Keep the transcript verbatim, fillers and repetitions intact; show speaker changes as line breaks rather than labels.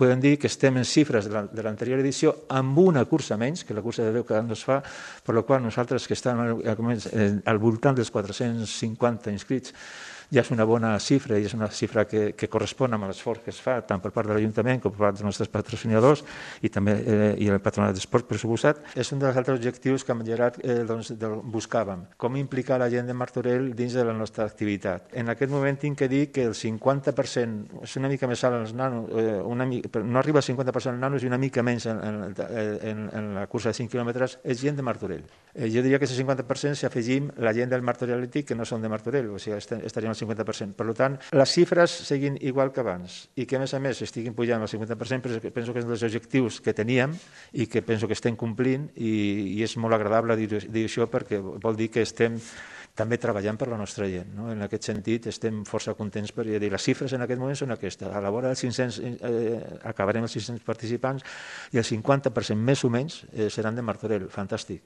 podem dir que estem en xifres de l'anterior edició amb una cursa menys, que la cursa de deu cada any es fa, per la qual nosaltres que estem al voltant dels quatre-cents cinquanta inscrits ja és una bona xifra i és una xifra que, que correspon amb l'esforç que es fa tant per part de l'Ajuntament com per part dels nostres patrocinadors i també eh, i el Patronat d'Esport, per suposat. És un dels altres objectius que amb Gerard eh, doncs, buscàvem, com implicar la gent de Martorell dins de la nostra activitat. En aquest moment tinc que dir que el cinquanta per cent, és una mica més alt els nanos, eh, una mica, no arriba al cinquanta per cent els nanos i una mica menys en, en, en, en la cursa de cinc quilòmetres, és gent de Martorell. Eh, jo diria que és el cinquanta per cent si afegim la gent del Martorell Atlètic que no són de Martorell, o sigui, estaríem al cinquanta per cent. Per tant, les xifres seguin igual que abans i que, a més a més, estiguin pujant al cinquanta per cent, però penso que és un dels objectius que teníem i que penso que estem complint i, i és molt agradable dir, dir això perquè vol dir que estem també treballant per la nostra gent. No? En aquest sentit, estem força contents per dir, les xifres en aquest moment són aquestes. A la vora dels cinc-cents, eh, acabarem els cinc-cents participants i el cinquanta per cent més o menys eh, seran de Martorell. Fantàstic.